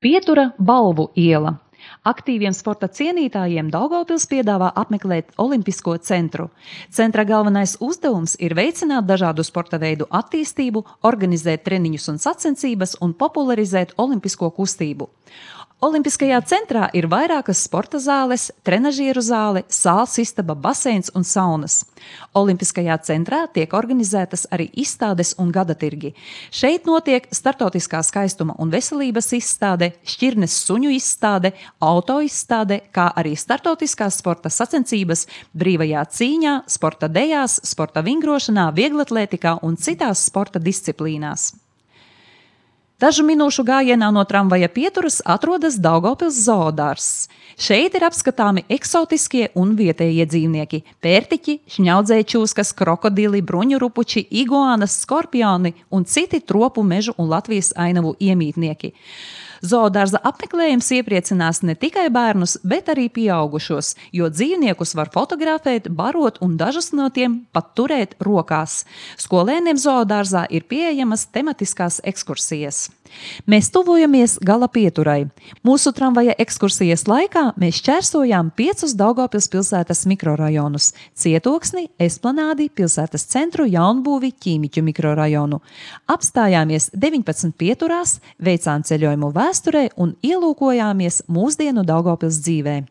Pietura Balvu iela. Aktīviem sporta cienītājiem Daugavpils piedāvā apmeklēt Olimpisko centru. Centra galvenais uzdevums ir veicināt dažādu sporta veidu attīstību, organizēt treniņus un sacensības un popularizēt olimpisko kustību. Olimpiskajā centrā ir vairākas sporta zāles, trenažieru zāle, sāls istaba, baseins un saunas. Olimpiskajā centrā tiek organizētas arī izstādes un gadatirgi. Šeit notiek startautiskā skaistuma un veselības izstāde, šķirnes suņu izstāde, auto izstāde, kā arī startautiskās sporta sacensības brīvajā cīņā, sporta dejās, sporta vingrošanā, vieglatlētikā un citās sporta disciplīnās. Dažu minūšu gājienā no tramvaja pieturas atrodas Daugavpils zoodārzs. Šeit ir apskatāmi eksotiskie un vietējie dzīvnieki – pērtiķi, šņaudzējčūskas, krokodili, bruņurupuči, iguānas, skorpioni un citi tropu mežu un Latvijas ainavu iemītnieki. Zoodārza apmeklējums iepriecinās ne tikai bērnus, bet arī pieaugušos, jo dzīvniekus var fotografēt, barot un dažus no tiem pat turēt rokās. Skolēniem zoodārzā ir pieejamas tematiskās ekskursijas. Mēs tuvojamies gala pieturai. Mūsu tramvaja ekskursijas laikā mēs šķērsojām 5 Daugavpils pilsētas mikrorajonus – Cietoksni, Esplanādi, pilsētas centru, Jaunbūvi, Ķīmiķu mikrorajonu. Apstājāmies 19 pieturās, veicām ceļojumu vēsturē un ielūkojāmies mūsdienu Daugavpils dzīvē.